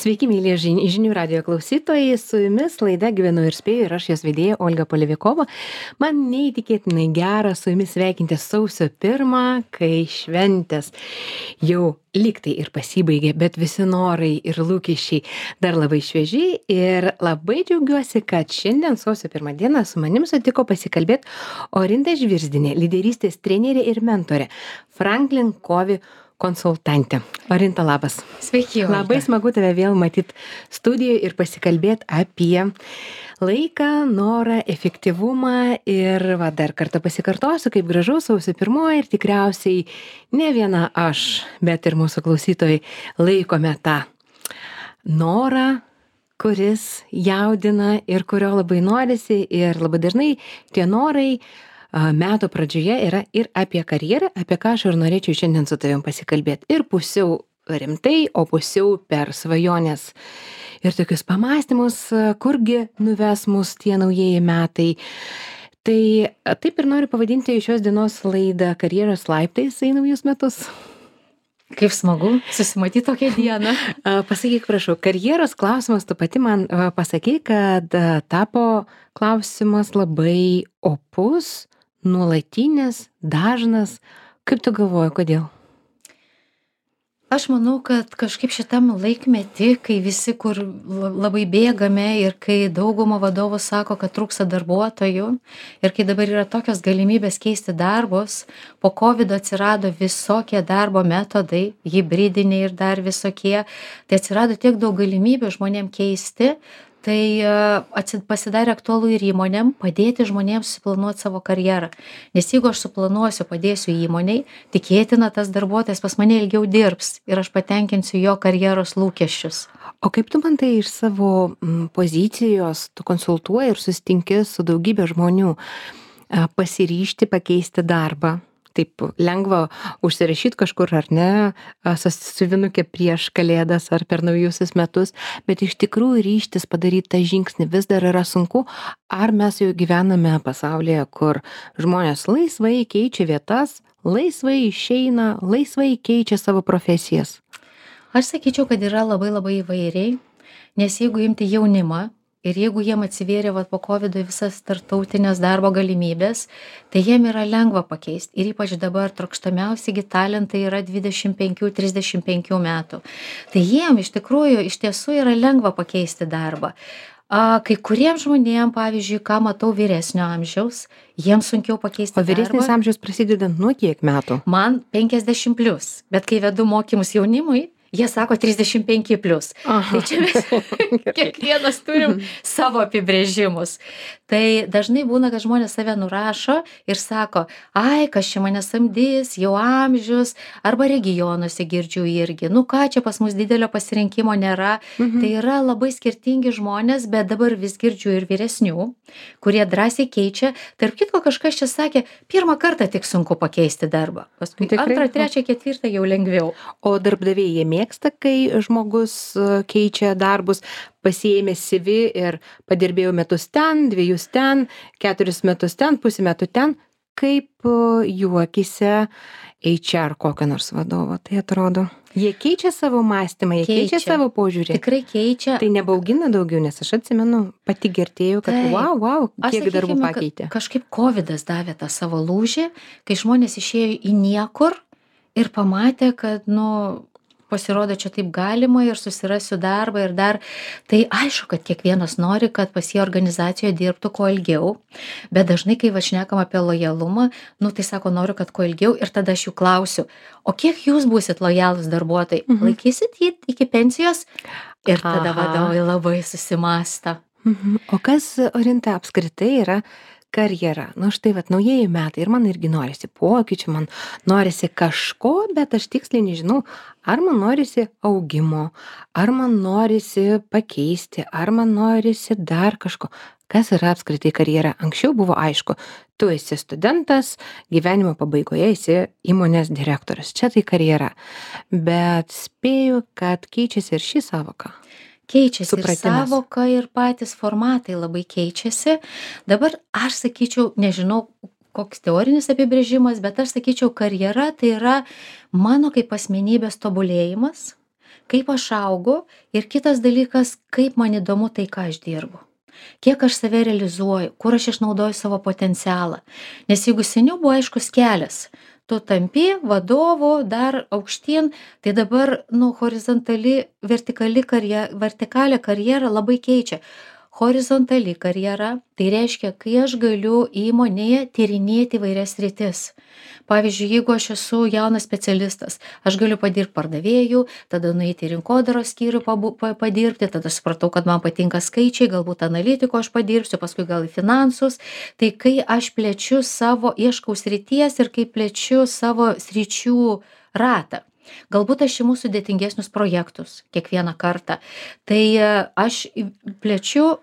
Sveiki, mėly žinių radio klausytojai, su jumis laida Gyvenu ir spėju ir aš jos vedėja Olga Polevikova. Man neįtikėtinai gera su jumis sveikinti sausio 1, kai šventės jau lygtai ir pasibaigė, bet visi norai ir lūkesčiai dar labai švieži ir labai džiaugiuosi, kad šiandien sausio 1 dieną su manim sutiko pasikalbėti Orinta Žvirzdinė, lyderystės trenerė ir mentorė, Franklin Covey konsultantė. Orinta, labas. Sveiki, Olga. Labai smagu tave vėl matyti studijoje ir pasikalbėti apie laiką, norą, efektyvumą ir dar kartą pasikartosiu, kaip gražu sausio 1 ir tikriausiai ne viena aš, bet ir mūsų klausytojai laikome tą norą, kuris jaudina ir kurio labai norisi ir labai dažnai tie norai metų pradžioje yra ir apie karjerą, apie ką aš ir norėčiau šiandien su tavim pasikalbėti. Ir pusiau rimtai, o pusiau per svajonės ir tokius pamąstymus, kurgi nuves mus tie naujieji metai. Tai taip ir noriu pavadinti šios dienos laidą karjeros laiptais į naujus metus. Kaip smagu susimatyti tokią dieną. Pasakyk, prašau, karjeros klausimas, tu pati man pasakyk, kad tapo klausimas labai opus, nuolatinis, dažnas. Kaip tu galvoji, kodėl? Aš manau, kad kažkaip šitam laikmetį, kai visi kur labai bėgame ir kai dauguma vadovų sako, kad trūksta darbuotojų ir kai dabar yra tokios galimybės keisti darbus, po COVID atsirado visokie darbo metodai, hibridiniai ir dar visokie, tai atsirado tiek daug galimybių žmonėm keisti, tai pasidarė aktualu ir įmonėm padėti žmonėms suplanuoti savo karjerą. Nes jeigu aš suplanuosiu, padėsiu įmoniai, tikėtina tas darbuotojas pas mane ilgiau dirbs ir aš patenkinsiu jo karjeros lūkesčius. O kaip tu man tai iš savo pozicijos, tu konsultuoji ir susitinki su daugybė žmonių pasiryžti pakeisti darbą? Taip lengva užsirašyti kažkur ar ne, sąsiuvinukė prieš kalėdas ar per naujusius metus, bet iš tikrųjų ryžtis padaryti tą žingsnį vis dar yra sunku. Ar mes jau gyvename pasaulyje, kur žmonės laisvai keičia vietas, laisvai išeina, laisvai keičia savo profesijas? Aš sakyčiau, kad yra labai labai įvairiai, nes jeigu imti jaunimą, ir jeigu jiem atsivėrė po COVID visas tarptautinės darbo galimybės, tai jiem yra lengva pakeisti. Ir ypač dabar trokštamiausi talentai yra 25-35 metų. Tai jiem iš tiesų yra lengva pakeisti darbą. Kai kuriems žmonėms, pavyzdžiui, ką matau vyresnio amžiaus, jiems sunkiau pakeisti darbą. O vyresnis amžius prasideda nuo kiek metų? Man 50+, bet kai vedu mokymus jaunimui, jie sako 35+. Tai čia mes kiekvienas turim savo apibrėžimus. Tai dažnai būna, kad žmonės save nurašo ir sako, ai, kas čia mane samdys, jau amžius, arba regionuose girdžiu irgi. Nu ką, čia pas mus didelio pasirinkimo nėra. Tai yra labai skirtingi žmonės, bet dabar vis girdžiu ir vyresnių, kurie drąsiai keičia. Tarp kitko kažkas čia sakė, pirmą kartą tik sunku pakeisti darbą. Paskui antrą, trečią, ketvirtą jau lengviau. O darbdaviai jie mėgsta, kai žmogus keičia darbus, pasiėmė CV ir padirbėjau metus ten, 2 ten, 4 metus ten, pusę metų ten. Kaip jų akyse HR kokio nors vadovo tai atrodo? Jie keičia savo mąstymą, jie keičia savo požiūrį. Tikrai keičia. Tai nebaugina daugiau, nes aš atsimenu, pati girdėjau, kad wow, kiek darbų pakeitė. Kažkaip COVIDas davė tą savo lūžį, kai žmonės išėjo į niekur ir pamatė, kad, pasirodo, čia taip galima ir susirasiu darbą ir dar. Tai aišku, kad kiekvienas nori, kad pas jį organizacijoje dirbtų kuo ilgiau, bet dažnai, kai šnekam apie lojalumą, tai sako, noriu, kad kuo ilgiau ir tada aš jų klausiu, o kiek jūs būsit lojalūs darbuotojai? Laikysit jį iki pensijos? Ir tada vadovai labai susimąsta. O kas, Orinta, apskritai yra karjera? Štai naujieji metai ir man irgi norisi pokyčių, man norisi kažko, bet aš tiksliai nežinau, ar man norisi augimo, ar man norisi pakeisti, ar man norisi dar kažko. Kas yra apskritai karjera? Anksčiau buvo aišku, tu esi studentas, gyvenimo pabaigoje esi įmonės direktorius. Čia tai karjera. Bet spėju, kad keičiasi ir ši savoka. Keičiasi ir savoka, ir patys formatai labai keičiasi. Dabar aš sakyčiau, nežinau, koks teorinis apibrėžimas, bet aš sakyčiau, karjera tai yra mano kaip asmenybės tobulėjimas, kaip aš augu ir kitas dalykas, kaip man įdomu tai, ką aš dirbu. Kiek aš save realizuoju, kur aš išnaudoju savo potencialą. Nes jeigu seniau buvo aiškus kelias, tu tampi vadovu dar aukštyn, tai dabar, horizontali, vertikalią karjerą labai keičia. Horizontali karjera, tai reiškia, kai aš galiu įmonėje tyrinėti įvairias sritis. Pavyzdžiui, jeigu aš esu jaunas specialistas, aš galiu padirbti pardavėjų, tada nueiti į rinkodaros skyrių padirbti, tada supratau, kad man patinka skaičiai, galbūt analitiko aš padirbsiu, paskui gal į finansus. Tai kai aš plečiu savo ieškau srities ir kai plečiu savo sričių ratą. Galbūt aš imu sudėtingesnius projektus kiekvieną kartą. Tai aš plečiu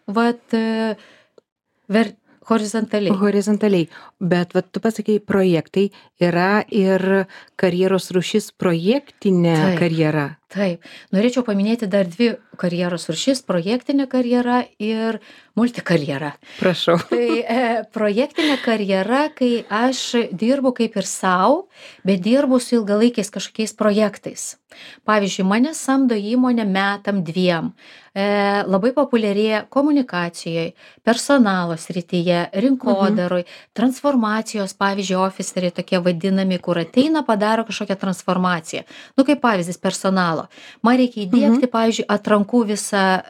horizontaliai. Horizontaliai. Bet tu pasakei, projektai yra ir karjeros rūšis projektinė karjera. Taip. Norėčiau paminėti dar 2 karjeros rūšis - projektinė karjera ir multikarjera. Prašau. Tai projektinė karjera, kai aš dirbu kaip ir savo, bet dirbu su ilgalaikiais kažkokiais projektais. Pavyzdžiui, mane samdo įmonė metam 2. Labai populiarėja komunikacijoje, personalo srityje, rinkodaroj, transformacijos, pavyzdžiui, ofiseriai tokie vadinami, kur ateina, padaro kažkokią transformaciją. Kaip pavyzdys personalo. Man reikia įdiegti, pavyzdžiui, atrankų visą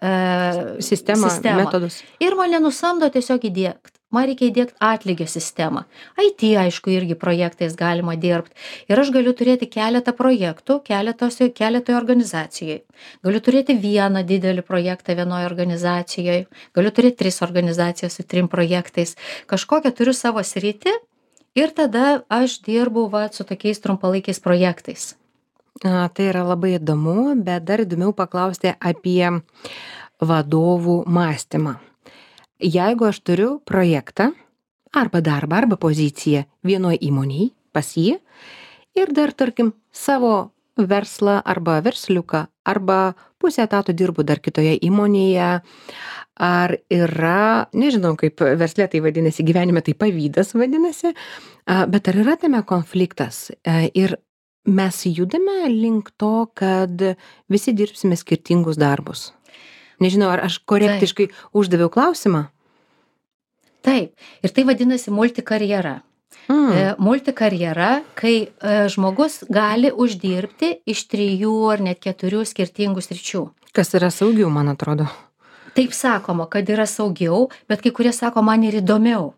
sistemą, metodus. Ir mane nusamdo tiesiog įdiegti. Man reikia įdiegti atlygio sistemą. IT, aišku, irgi projektais galima dirbti. Ir aš galiu turėti keletą projektų, keletoje organizacijoje. Galiu turėti vieną didelį projektą vienoje organizacijoje. Galiu turėti 3 organizacijas su 3 projektais. Kažkokią turiu savo sritį ir tada aš dirbu su tokiais trumpalaikiais projektais. Tai yra labai įdomu, bet dar įdomiau paklausti apie vadovų mąstymą. Jeigu aš turiu projektą, arba darbą, arba poziciją vienoje įmonėje, pas jį, ir dar, tarkim, savo verslą arba versliuką, arba pusę etato dirbu dar kitoje įmonėje, ar yra, nežinau, kaip versle tai vadinasi, gyvenime tai pavydas vadinasi, bet ar yra tame konfliktas? Ir mes judame link to, kad visi dirbsime skirtingus darbus. Nežinau, ar aš korektiškai uždaviau klausimą? Taip. Ir tai vadinasi multikarjera. Multikarjera, kai žmogus gali uždirbti iš 3 ar net 4 skirtingų sričių. Kas yra saugiau, man atrodo. Taip sakoma, kad yra saugiau, bet kai kurie sako, man ir įdomiau.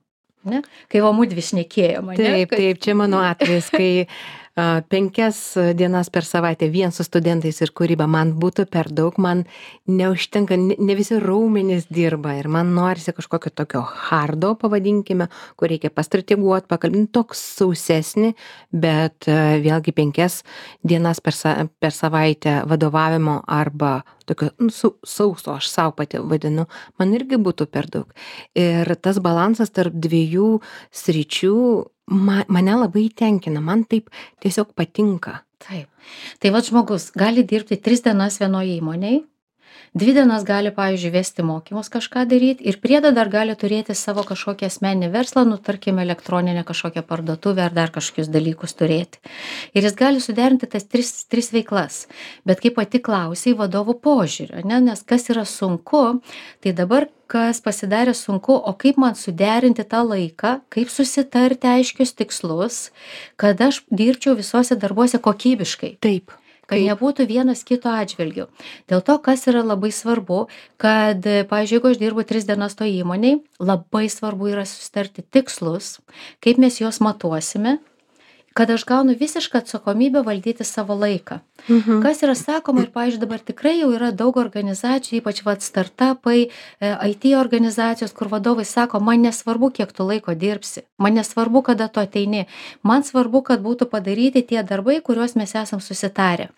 Ne? Kai mudvi šnekėjome. Taip, čia mano atvejis, kai 5 dienas per savaitę vien su studentais ir kūryba man būtų per daug, man neužtenka, ne visi raumenys dirba ir man norisi kažkokio tokio hardo, pavadinkime, kur reikia pastrateguoti, pakalbinti, toks sausesnį, bet vėlgi 5 dienas per savaitę vadovavimo arba tokio sauso, aš savo pati vadinu, man irgi būtų per daug. Ir tas balansas tarp 2 sričių mane labai tenkina, man taip tiesiog patinka. Taip. Tai žmogus gali dirbti 3 dienas vienoje įmonėje, 2 dienas gali, pavyzdžiui, vesti mokymus kažką daryti ir priedą dar gali turėti savo kažkokią asmeninį verslą, tarkim, elektroninę kažkokią parduotuvę ar dar kažkokius dalykus turėti. Ir jis gali suderinti tas 3 veiklas. Bet kaip pati klausai, vadovų požiūrio, nes kas yra sunku, tai dabar kas pasidarė sunku, o kaip man suderinti tą laiką, kaip susitarti aiškius tikslus, kad aš dirbčiau visuose darbuose kokybiškai. Taip. Kad nebūtų vienas kito atžvilgių. Dėl to, kas yra labai svarbu, kad, pavyzdžiui, jeigu aš dirbu 3 dienas to įmonėj, labai svarbu yra susitarti tikslus, kaip mes juos matuosime, kad aš gaunu visišką atsakomybę valdyti savo laiką. Kas yra sakoma ir, pavyzdžiui, dabar tikrai jau yra daug organizacijų, ypač startupai, IT organizacijos, kur vadovai sako, man nesvarbu, kiek tu laiko dirbsi, man nesvarbu, kada tu ateini, man svarbu, kad būtų padaryti tie darbai, kuriuos mes esam susitarę.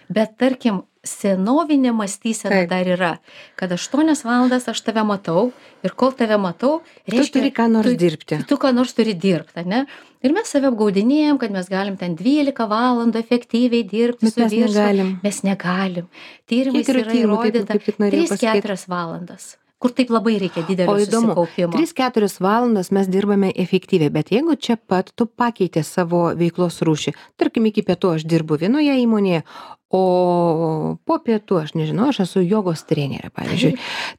Bet tarkim, senovinė mąstysena dar yra, kad 8 valandas aš tave matau ir kol tave matau, reiškia, tu turi ką nors dirbti. Tu ką nors turi dirbti, ne? Ir mes save apgaudinėjom, kad mes galim ten 12 valandų efektyviai dirbti su vyru. Mes negalim. Tyrimais yra įrodyta 3-4 valandas. kur taip labai reikia didelio O įdomu, susikaupimo. 3-4 valandas mes dirbame efektyviai, bet jeigu čia pat tu pakeitė savo veiklos rūšį, tarkim, iki pietų aš dirbu vienoje įmonėje, o po pietų, aš nežinau, aš esu jogos trenerė, pavyzdžiui,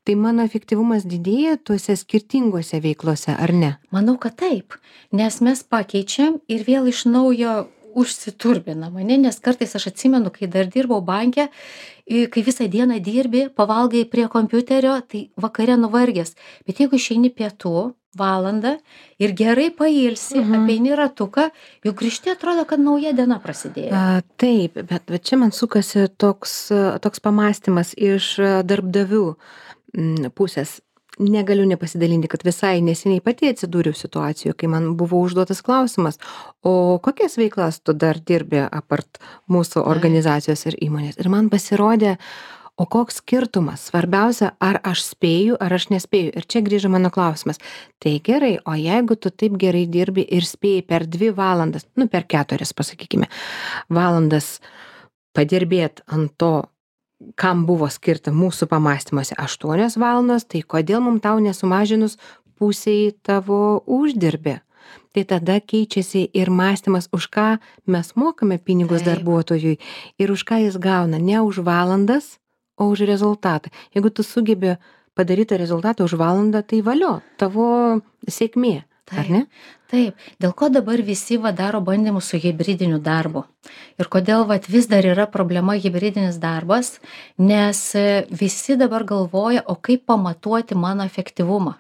tai mano efektyvumas didėja tuose skirtingose veiklose, ar ne? Manau, kad taip, nes mes pakeičiam ir vėl iš naujo užsiturbinam, ane? Nes kartais aš atsimenu, kai dar dirbau banke, kai visą dieną dirbi, pavalgai prie kompiuterio, tai vakare nuvargęs. Bet jeigu išeini pietų valandą ir gerai pailsi, apeini ratuką, jau grįžti atrodo, kad nauja diena prasidėjo. Taip, bet čia man sukasi toks pamąstymas iš darbdavių pusės. Negaliu nepasidalinti, kad visai neseniai pati atsidūriau situacijoje, kai man buvo užduotas klausimas, o kokias veiklas tu dar dirbi apart mūsų organizacijos ir įmonės. Ir man pasirodė, o koks skirtumas, svarbiausia, ar aš spėju, ar aš nespėju. Ir čia grįžo mano klausimas. Tai gerai, o jeigu tu taip gerai dirbi ir spėjai per 2 valandas, per 4, pasakykime, valandas padirbėt ant to, kam buvo skirta mūsų pamąstymuose 8 valandos, tai kodėl mums tau nesumažinus pusiai tavo uždirbį? Tai tada keičiasi ir mąstymas, už ką mes mokame pinigus darbuotojui ir už ką jis gauna, ne už valandas, o už rezultatą. Jeigu tu sugebi padaryti rezultatą už valandą, tai valio, tavo sėkmė. Ar ne? Taip. Dėl ko dabar visi daro bandymus su hibridiniu darbu? Ir kodėl vis dar yra problema hibridinis darbas? Nes visi dabar galvoja, o kaip pamatuoti mano efektyvumą?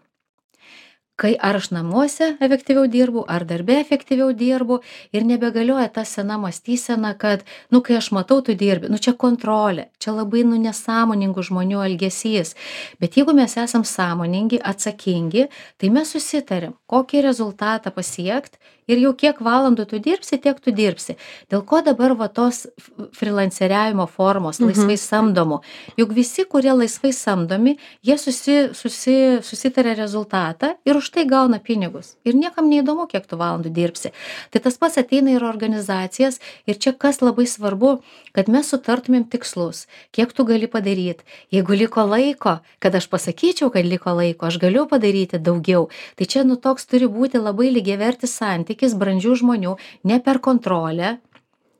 Ar aš namuose efektyviau dirbu, ar darbe efektyviau dirbu ir nebegalioja ta sena mąstysena, kad, kai aš matau, tu dirbi, čia kontrolė, čia labai nesąmoningų žmonių elgesys. Bet jeigu mes esam sąmoningi, atsakingi, tai mes susitarim, kokį rezultatą pasiekti ir jau kiek valandų tu dirbsi, tiek tu dirbsi. Dėl ko dabar tos freelanceriavimo formos, laisvai samdomų? Juk visi, kurie laisvai samdomi, jie susitarė rezultatą ir už tai gauna pinigus. Ir niekam neįdomu, kiek tu valandų dirbsi. Tai tas pats ateina ir organizacijas. Ir čia kas labai svarbu, kad mes sutartumėm tikslus, kiek tu gali padaryti. Jeigu liko laiko, kad aš pasakyčiau, kad liko laiko, aš galiu padaryti daugiau. Tai čia toks turi būti labai lygiavertis santykis brandžių žmonių, ne per kontrolę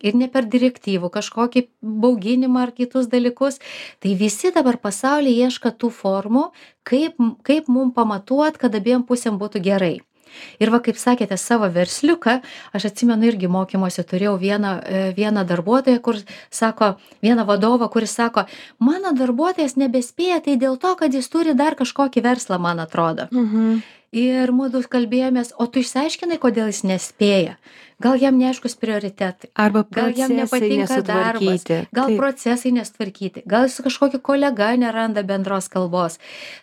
ir ne per direktyvų kažkokį bauginimą ar kitus dalykus. Tai visi dabar pasaulyje ieško tų formų, kaip mum pamatuot, kad abiem pusėm būtų gerai. Ir kaip sakėte, savo versliuką, aš atsimenu irgi mokymuose turėjau vieną darbuotoją, vieną vadovą, kuris sako, mano darbuotojas nebespėja, tai dėl to, kad jis turi dar kažkokį verslą, man atrodo. Ir mūdu kalbėjomės, o tu išsiaiškinai, kodėl jis nespėja. Gal jam neaiškus prioritetai, gal jam nepatinka darbas, gal procesai nesutvarkyti, gal su kažkokiu kolega neranda bendros kalbos.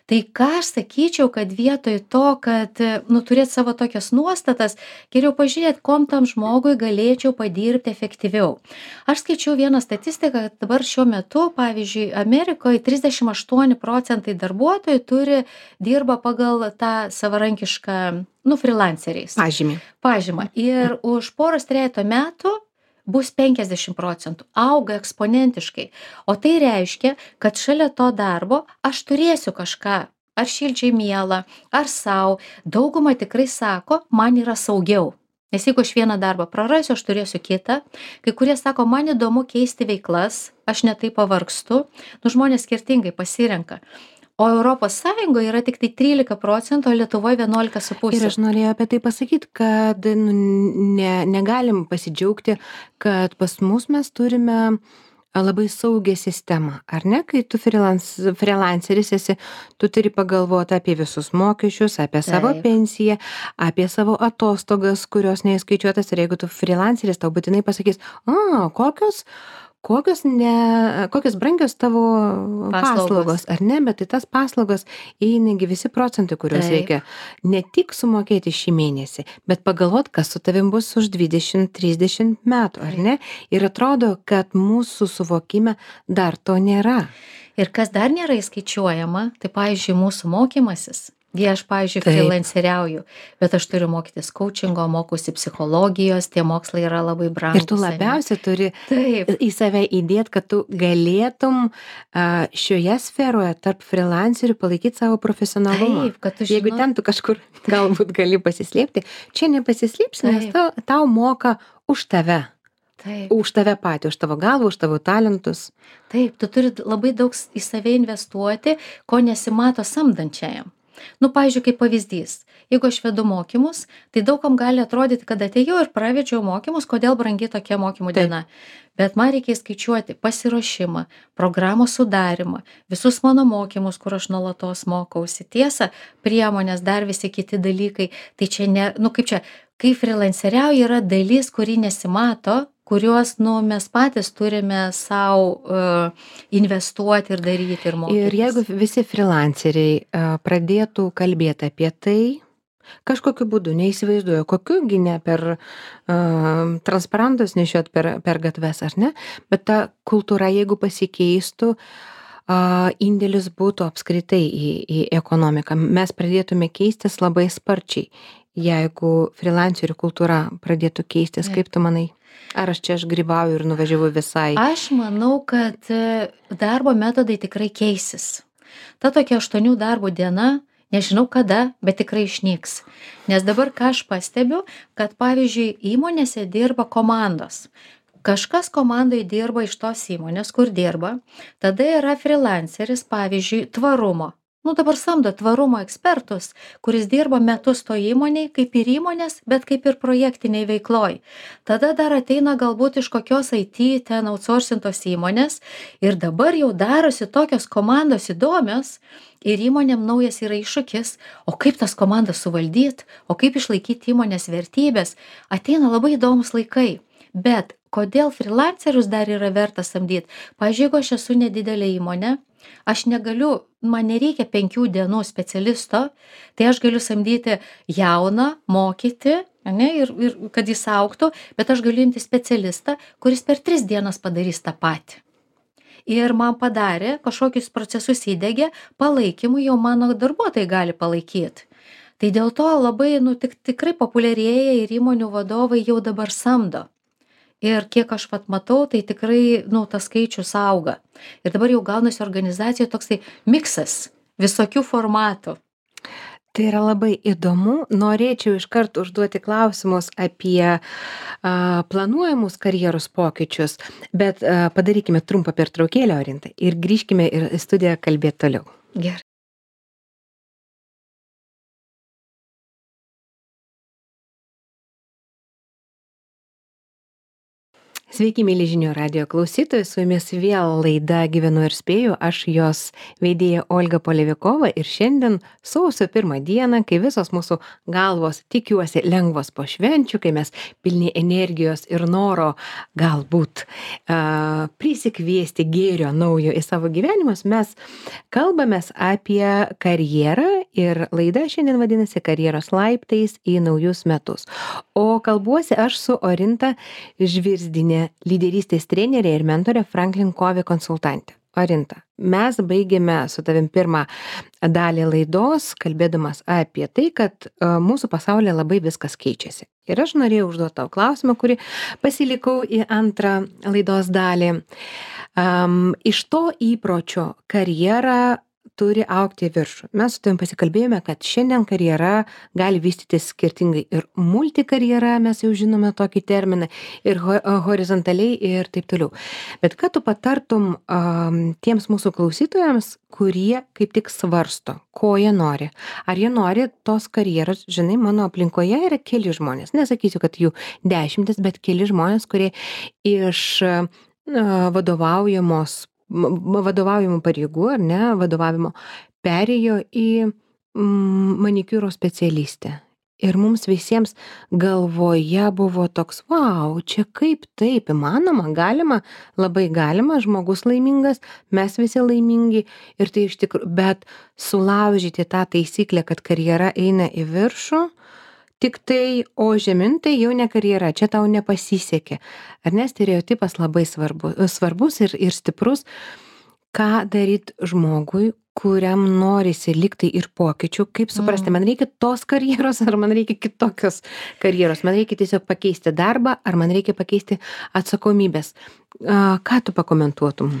Tai ką aš sakyčiau, kad vietoj to, kad turėt savo tokias nuostatas, geriau pažiūrėti, kom tam žmogui galėčiau padirbti efektyviau. Aš skaičiau vieną statistiką, kad dabar šiuo metu, pavyzdžiui, Amerikoje 38% darbuotojų dirba pagal tą savarankišką freelanceriais. Pažymą. Ir už poros trejeto metų bus 50%, auga eksponentiškai. O tai reiškia, kad šalia to darbo aš turėsiu kažką, ar šilčiai mielą, ar sau. Dauguma tikrai sako, man yra saugiau. Nes jeigu aš vieną darbą prarasiu, aš turėsiu kitą. Kai kurie sako, man įdomu keisti veiklas, aš netai pavargstu. Žmonės skirtingai pasirenka. O Europos Sąjungoje yra tik tai 13%, o Lietuvoje 11,5%. Ir aš norėjau apie tai pasakyti, kad negalim pasidžiaugti, kad pas mus mes turime labai saugią sistemą, ar ne? Kai tu freelanceris esi, tu turi pagalvoti apie visus mokesčius, apie savo pensiją, apie savo atostogas, kurios neįskaičiuotas. Ir jeigu tu freelanceris, tau būtinai pasakys, kokios brangios tavo paslaugos, ar ne, bet tai tas paslaugos įeinagi visi procentai, kuriuos reikia ne tik sumokėti šį mėnesį, bet pagalvot, kas su tavim bus už 20-30 metų, ar ne? Ir atrodo, kad mūsų suvokime dar to nėra. Ir kas dar nėra įskaičiuojama, tai pavyzdžiui, mūsų mokymasis. Gi aš, pavyzdžiui, Taip. freelanceriauju, bet aš turiu mokytis coachingo, mokausi psichologijos, tie mokslai yra labai brangūs. Ir tu labiausiai turi Taip, į save įdėt, kad tu galėtum šioje sferoje tarp freelancerių palaikyti savo profesionalumą. taip, kad tu Jeigu žinai. ten tu kažkur galbūt gali pasislėpti, čia nepasislėpsi, nes tau moka už tave. Taip. Už tave patį, už tavo galvą, už tavo talentus. Taip, tu turi labai daug į save investuoti, ko nesimato samdančiajam. Nu, pavyzdžiui, kaip pavyzdys, jeigu aš vedu mokymus, tai daugam gali atrodyti, kad atėjau ir pravedžiau mokymus, kodėl brangi tokia mokymų diena. Bet man reikia skaičiuoti pasiruošimą, programos sudarimą, visus mano mokymus, kur aš nuolatos mokausi. Tiesa, priemonės, dar visi kiti dalykai. Tai čia ne, nu kaip čia, kai freelanceriauji yra dalis, kuri nesimato, kuriuos, nu, mes patys turime savo investuoti ir daryti ir mokytis. Ir jeigu visi freelanceriai pradėtų kalbėti apie tai, kažkokiu būdu, neįsivaizduoju, kokiugi ne per transparantus nešiot per gatves, ar ne, bet ta kultūra, jeigu pasikeistų, indėlis būtų apskritai į ekonomiką. Mes pradėtume keistis labai sparčiai, jeigu freelancerių kultūra pradėtų keistis, kaip tu manai? Ar aš čia grybauju ir nuvažiavau visai? Aš manau, kad darbo metodai tikrai keisis. Ta tokia 8 darbo diena, nežinau kada, bet tikrai išnyks. Nes dabar ką aš pastebiu, kad pavyzdžiui įmonėse dirba komandos. Kažkas komandai dirba iš tos įmonės, kur dirba. Tada yra freelanceris, pavyzdžiui, tvarumo. Nu dabar samdo tvarumo ekspertus, kuris dirba metus to įmonėj, kaip ir įmonės, bet kaip ir projektiniai veikloj. Tada dar ateina galbūt iš kokios IT ten outsourcintos įmonės ir dabar jau darosi tokios komandos įdomios ir įmonėm naujas yra iššūkis, o kaip tas komandas suvaldyt, o kaip išlaikyti įmonės vertybės. Ateina labai įdomus laikai. Bet kodėl freelancerius dar yra verta samdyti? Pavyzdžiui, jeigu aš esu nedidelė įmonė, aš negaliu, man nereikia 5 dienų specialisto, tai aš galiu samdyti jauną, mokyti, ne, ir kad jis augtų, bet aš galiu imti specialistą, kuris per 3 dienas padarys tą patį. Ir man padarė, kažkokius procesus įdegė, palaikymų jau mano darbuotojai gali palaikyti. Tai dėl to labai, nu, tikrai populiarėja ir įmonių vadovai jau dabar samdo. Ir kiek aš matau, tai tikrai, nu, tas skaičius auga. Ir dabar jau gaunasi organizacijoje toksai miksas visokių formatų. Tai yra labai įdomu. Norėčiau iškart užduoti klausimus apie planuojamus karjeros pokyčius, bet padarykime trumpą pertraukėlę, Orinta, ir grįžkime į studiją kalbėti toliau. Gerai. Sveiki, mėly žinių radijo klausytojai, su jumis vėl laida Gyvenu ir spėju, aš jos vedėja Olga Polevikova ir šiandien sausio 1 dieną, kai visos mūsų galvos, tikiuosi, lengvos po švenčių, kai mes pilni energijos ir noro galbūt prisikviesti gėrio naujo į savo gyvenimus, mes kalbamės apie karjerą ir laida šiandien vadinasi Karjeros laiptais į naujus metus. O kalbuosi aš su Orinta Žvirzdinė, lyderystės trenerė ir mentorė Franklin Covey konsultantė. Orinta, mes baigėme su tavim pirmą dalį laidos, kalbėdamas apie tai, kad mūsų pasaulyje labai viskas keičiasi. Ir aš norėjau užduoti tau klausimą, kurį pasilikau į antrą laidos dalį. Iš to įpročio karjera turi augti į viršų. Mes su tavim pasikalbėjome, kad šiandien karjera gali vystytis skirtingai ir multikarjera, mes jau žinome tokį terminą, ir horizontaliai ir taip toliau. Bet ką tu patartum tiems mūsų klausytojams, kurie kaip tik svarsto, ko jie nori? Ar jie nori tos karjeros? Žinai, mano aplinkoje yra keli žmonės, nesakysiu, kad jų 10, bet keli žmonės, kurie iš vadovaujamų pareigų, ar ne, vadovavimo, perėjo į manikiūro specialistę. Ir mums visiems galvoje buvo toks, vau, čia kaip taip įmanoma, galima, labai galima, žmogus laimingas, mes visi laimingi ir tai iš tikrųjų, bet sulaužyti tą taisyklę, kad karjera eina į viršų, tik tai, o žemyn tai jau ne karjera, čia tau nepasisekė. Ar ne, stereotipas labai svarbus ir stiprus, ką daryti žmogui, kuriam norisi liktai ir pokyčių, kaip suprasti, man reikia tos karjeros ar man reikia kitokios karjeros, man reikia tiesiog pakeisti darbą ar man reikia pakeisti atsakomybės. Ką tu pakomentuotum?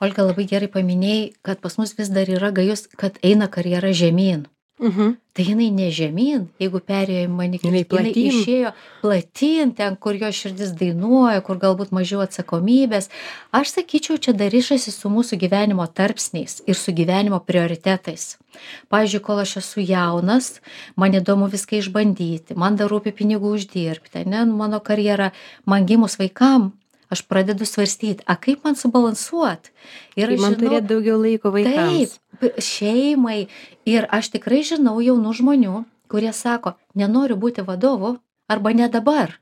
Olga, labai gerai paminėjai, kad pas mus vis dar yra gajus, kad eina karjera žemyn. Tai jinai ne žemyn, jeigu perėjo į Jinai jinai platyn. išėjo platyn, ten, kur jo širdis dainuoja, kur galbūt mažiau atsakomybės. Aš sakyčiau, čia dar ryšasi su mūsų gyvenimo tarpsniais ir su gyvenimo prioritetais. Pavyzdžiui, kol aš esu jaunas, man įdomu viską išbandyti, man dar rūpi pinigų uždirbti, ne, mano karjera, man gimus vaikam, aš pradedu svarstyti, kaip man subalansuot. Ir Man turėti daugiau laiko vaikams. Taip, šeimai. Ir aš tikrai žinau jaunų žmonių, kurie sako, nenoriu būti vadovu arba ne dabar.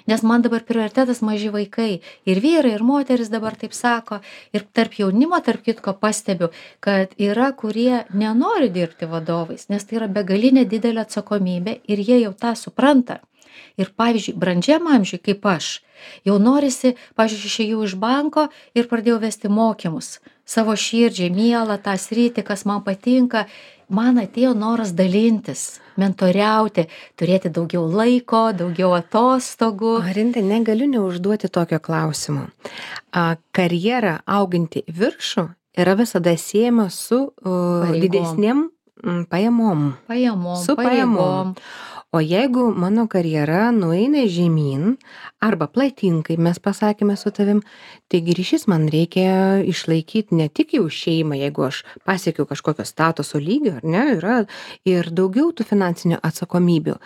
Nes man dabar prioritetas maži vaikai. Ir vyrai, ir moteris dabar taip sako. Ir tarp jaunimo, tarp kitko, pastebiu, kad yra, kurie nenori dirbti vadovais, nes tai yra begalinė didelė atsakomybė ir jie jau tą supranta. Ir pavyzdžiui, brandžiam amžiui, kaip aš, jau norisi, pavyzdžiui, išėjau iš banko ir pradėjau vesti mokymus. Savo širdžiai, mielą tą sritį, kas man patinka, man atėjo noras dalintis, mentoriauti, turėti daugiau laiko, daugiau atostogų. Rinte, negaliu neužduoti tokio klausimo. Karjera auginti viršų yra visada siejama su didesnėm pajamom. Su pajamom. O jeigu mano karjera nueina žemyn arba platyn, kaip mes pasakėme su tavim, taigi ryšys man reikia išlaikyti ne tik jau šeimą, jeigu aš pasiekiau kažkokio statuso lygio, ar ne, yra ir daugiau tų finansinių atsakomybių.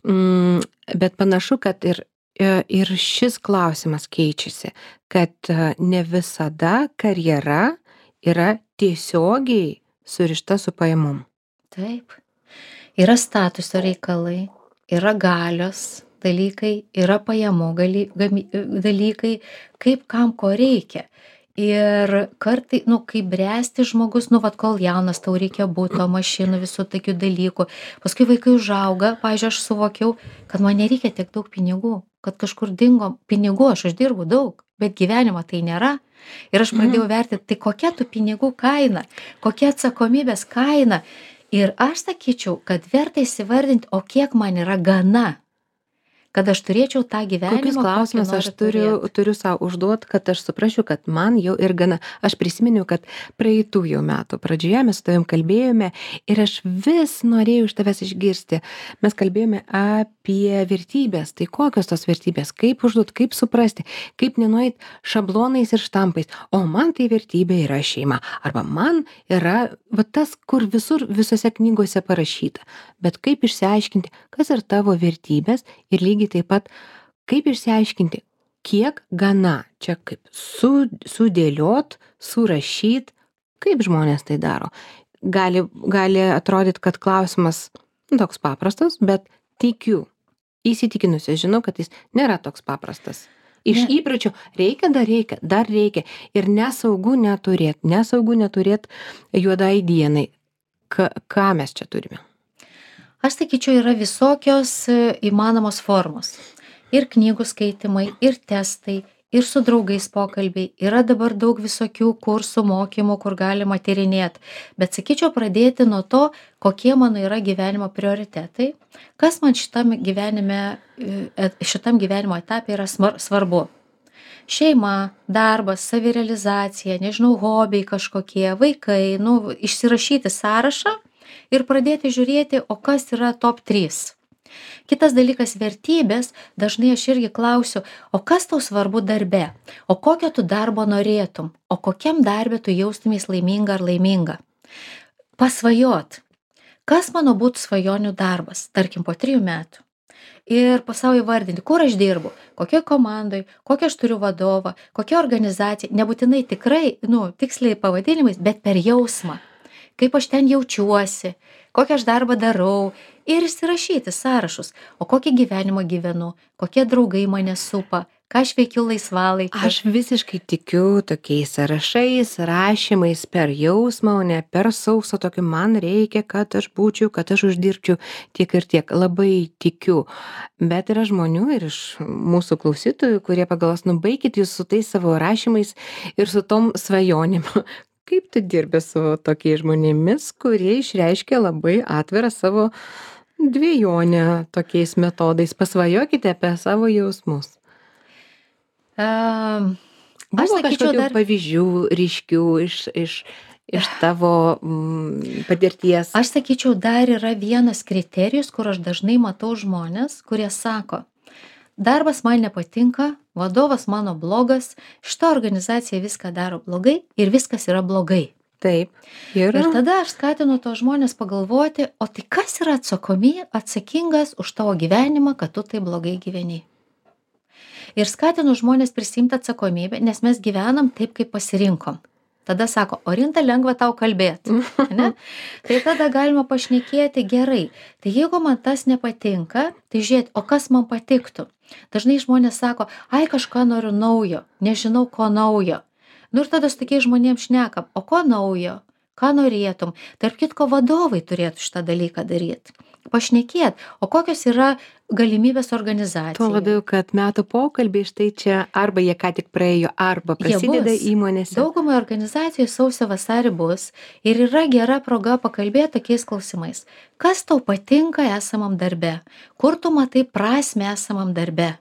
Bet panašu, kad ir šis klausimas keičiasi, kad ne visada karjera yra tiesiogiai surišta su pajamom. Taip. Yra statuso reikalai, yra galios dalykai, yra pajamų dalykai, kaip kam ko reikia. Ir kartai, kaip bręsti žmogus, kol jaunas, tau reikia būto, mašinų, visų tokių dalykų. Paskui vaikai užauga, pavyzdžiui, aš suvokiau, kad man nereikia tiek daug pinigų, kad kažkur dingo pinigų, aš uždirbu daug, bet gyvenimo tai nėra. Ir aš pradėjau vertinti, tai kokia tų pinigų kaina, kokia atsakomybės kaina. Ir aš sakyčiau, kad verta įsivardinti, o kiek man yra gana, kad aš turėčiau tą gyvenimą. Kokius klausimus aš turiu savo užduoti, kad aš suprasčiau, kad man jau ir gana. Aš prisiminiau, kad praeitų jau metų pradžioje mes su tavim kalbėjome ir aš vis norėjau iš tavęs išgirsti. Mes kalbėjome apie vertybės. Tai kokios tos vertybės? Kaip užduoti, kaip suprasti, kaip nenueit šablonais ir štampais. O man tai vertybė yra šeima. Arba man yra tas, kur visose knygose parašyta. Bet kaip išsiaiškinti, kas yra tavo vertybės ir lygiai taip pat, kaip išsiaiškinti, kiek gana, čia kaip sudėliot, surašyt, kaip žmonės tai daro. Gali atrodyti, kad klausimas toks paprastas, bet tikiu, įsitikinusi, žinau, kad jis nėra toks paprastas. Iš įpročių dar reikia ir nesaugu neturėt juodai dienai. Ką mes čia turime? Aš sakyčiau, yra visokios įmanomos formos. Ir knygų skaitimai, ir testai, ir su draugais pokalbiai. Yra dabar daug visokių kursų, mokymų, kur galima tyrinėti. Bet sakyčiau, pradėti nuo to, kokie mano yra gyvenimo prioritetai, kas man šitam gyvenimo etape yra svarbu. Šeima, darbas, savirealizacija, hobiai kažkokie, vaikai, išsirašyti sąrašą ir pradėti žiūrėti, o kas yra top 3. Kitas dalykas - vertybės. Dažnai aš irgi klausiu, o kas tau svarbu darbe? O kokio tu darbo norėtum? O kokiam darbe tu jaustumės laiminga ar laiminga? Pasvajot. Kas mano būtų svajonių darbas, tarkim, po 3 metų? Ir pasau įvardinti, kur aš dirbu, kokioj komandoj, kokią aš turiu vadovą, kokia organizacija, nebūtinai tikrai, tiksliai pavadinimais, bet per jausmą. Kaip aš ten jaučiuosi, kokią aš darbą darau ir įsirašyti sąrašus, o kokį gyvenimą gyvenu, kokie draugai mane supa, ką aš veikiu laisvalaikiu. Aš visiškai tikiu tokiais sąrašais, rašymais per jausmą, o ne per sausą tokį man reikia, kad aš būčiau, kad aš uždirbčiau tiek ir tiek. Labai tikiu. Bet yra žmonių ir iš mūsų klausytojų, kurie pagalvos, baikit jūs su tais savo rašymais ir su tom svajonėm. kaip tu dirbi su tokiais žmonėmis, kurie išreiškia labai atvirą savo dvejonę tokiais metodais? Pasvajokite apie savo jausmus. Am, Aš Buvo sakyčiau kažkokių dar, pavyzdžių ryškių iš tavo patirties? aš sakyčiau, dar yra vienas kriterijus, kur aš dažnai matau žmonės, kurie sako, darbas man nepatinka, vadovas mano blogas, šita organizacija viską daro blogai ir viskas yra blogai. Taip. Ir Ir tada aš skatinu tos žmonės pagalvoti, o tai kas yra atsakingas už tavo gyvenimą, kad tu tai blogai gyveni. Ir skatinu žmonės prisimti atsakomybę, nes mes gyvenam taip, kaip pasirinkom. Tada sako, Orinta, lengva tau kalbėti. Ne? Tai tada galima pašnekėti gerai. Tai jeigu man tas nepatinka, tai žiūrėt, o kas man patiktų? Dažnai žmonės sako, ai kažką noriu naujo, nežinau ko naujo. Nu ir tada su tokiais žmonėms šnekam, o ko naujo, ką norėtum. Tarp kitko vadovai turėtų šitą dalyką daryti. Pašnekėt, o kokios yra galimybės organizacijai. tuo labiau, kad metų pokalbiai štai čia arba jie ką tik praėjo, arba prasideda bus. įmonėse. Daugumai organizacijų sausio vasarį bus ir yra gera proga pakalbėti tokiais klausimais. Kas tau patinka esamam darbe? Kur tu matai prasmę esamam darbe?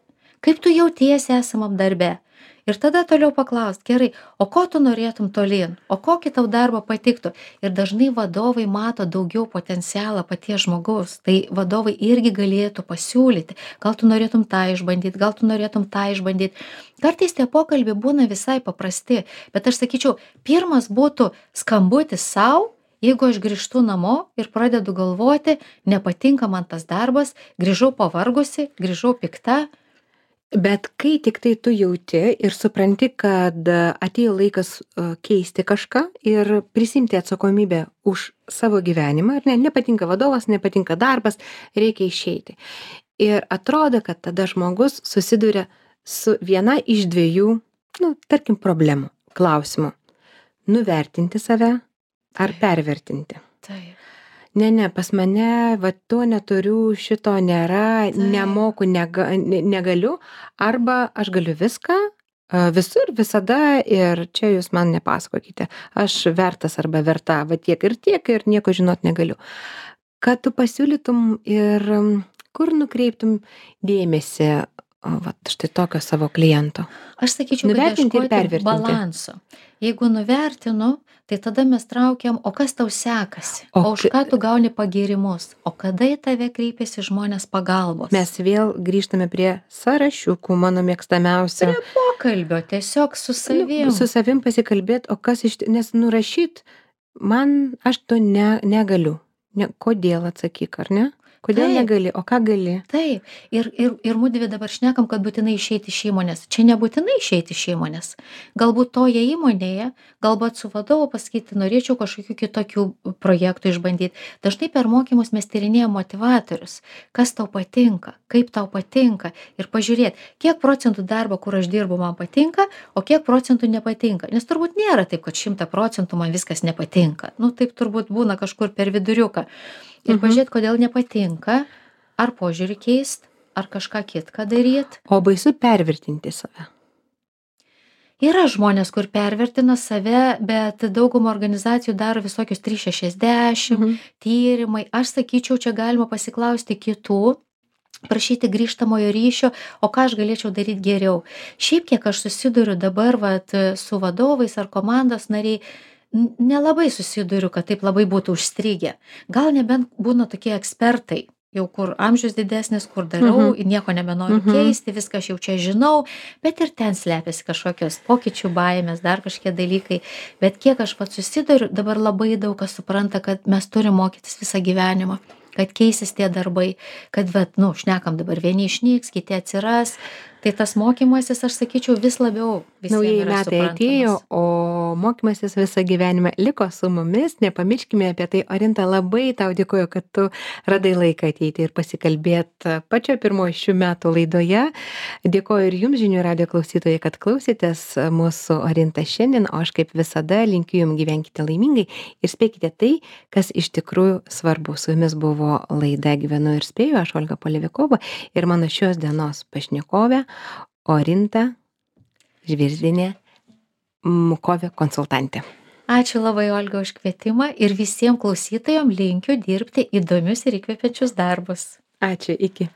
Kaip tu jautiesi esamam darbe? Ir tada toliau paklaust, gerai, o ko tu norėtum tolyn? O kokį tau darbą patiktų? Ir dažnai vadovai mato daugiau potencialą paties žmogaus. Tai vadovai irgi galėtų pasiūlyti. Gal tu norėtum tą išbandyti, gal tu norėtum tą išbandyti. Kartais tie pokalbiai būna visai paprasti, bet aš sakyčiau, pirmas būtų skambutis savo, jeigu aš grįžtu namo ir pradedu galvoti, nepatinka man tas darbas, grįžau pavargusi, grįžau pikta. Bet kai tik tai tu jauti ir supranti, kad atėjo laikas keisti kažką ir prisimti atsakomybę už savo gyvenimą, ar ne, nepatinka vadovas, nepatinka darbas, reikia išeiti. Ir atrodo, kad tada žmogus susiduria su viena iš dviejų, tarkim, problemų, klausimų. Nuvertinti save ar pervertinti. Taip. Ne, pas mane, va, to neturiu, šito nėra, nemoku, negaliu, arba aš galiu viską, visur, visada ir čia jūs man nepasakokite. Aš vertas arba verta, va tiek ir nieko žinot negaliu. Kad tu pasiūlytum ir kur nukreiptum dėmesį, va, štai tokio savo kliento? Aš sakyčiau, kad Nuvertinti ir ieškoti pervertinti. balanso. Jeigu nuvertinu, tai tada mes traukiam, o kas tau sekasi, o už ką tu gauni pagirimus, o kada į tave kreipiasi žmonės pagalbos. Mes vėl grįžtame prie sąrašiukų, mano mėgstamiausio. Prie pokalbio, tiesiog su savim. Su savim pasikalbėti, o kas nes nurašyt, aš to negaliu. Kodėl atsakyk, ar ne? Kodėl Taip. negali, o ką gali? Taip, ir mudvi dabar šnekam, kad būtinai išeiti iš įmonės. Čia nebūtinai išeiti iš įmonės. Galbūt toje įmonėje, galbūt su vadovu pasakyti, norėčiau kažkokių kitokių projektų išbandyti. Dažnai per mokymus mes tyrinėjame motivatorius. Kas tau patinka, kaip tau patinka. Ir pažiūrėti, kiek procentų darbo, kur aš dirbu, man patinka, o kiek procentų nepatinka. Nes turbūt nėra taip, kad 100% man viskas nepatinka. Taip turbūt būna kažkur per viduriuką. Ir pažiūrėt, kodėl nepatinka, ar požiūrį keist, ar kažką kitką daryt. O baisu pervertinti save. Yra žmonės, kur pervertina save, bet daugumą organizacijų daro visokius 360 tyrimai. Aš sakyčiau, čia galima pasiklausti kitų, prašyti grįžtamojo ryšio, o ką aš galėčiau daryti geriau. Šiaip kiek aš susiduriu dabar su vadovais ar komandos nariai, nelabai susiduriu, kad taip labai būtų užstrigę. Gal nebent būna tokie ekspertai, jau kur amžius didesnis, kur darau, nieko nebenoriu keisti, viską aš jau čia žinau, bet ir ten slepiasi kažkokios pokyčių baimės, dar kažkokie dalykai. Bet kiek aš pats susiduriu, dabar labai daug kas supranta, kad mes turim mokytis visą gyvenimą, kad keisis tie darbai, kad, šnekam dabar, vieni išnyks, kiti atsiras. Tai tas mokymasis, aš sakyčiau, vis labiau visiems Naujieji yra metai suprantamas. atėjo, o mokymasis visą gyvenimą liko su mumis. Nepamirškime apie tai. Orinta, labai tau dėkoju, kad tu radai laiką ateiti ir pasikalbėti pačio pirmojo šių metų laidoje. Dėkoju ir jums, žinių radijo klausytojai, kad klausėtės mūsų Orinta šiandien, o aš kaip visada linkiu jums gyvenkite laimingai ir spėkite tai, kas iš tikrųjų svarbu. Su jumis buvo laida Gyvenu ir spėju, aš Olga Polevikova ir mano šios dienos pašnekovė Orinta Žvirzdinė, Mukovė konsultantė. Ačiū labai, Olga, už kvietimą ir visiems klausytojams linkiu dirbti įdomius ir įkvepiančius darbus. Ačiū, iki.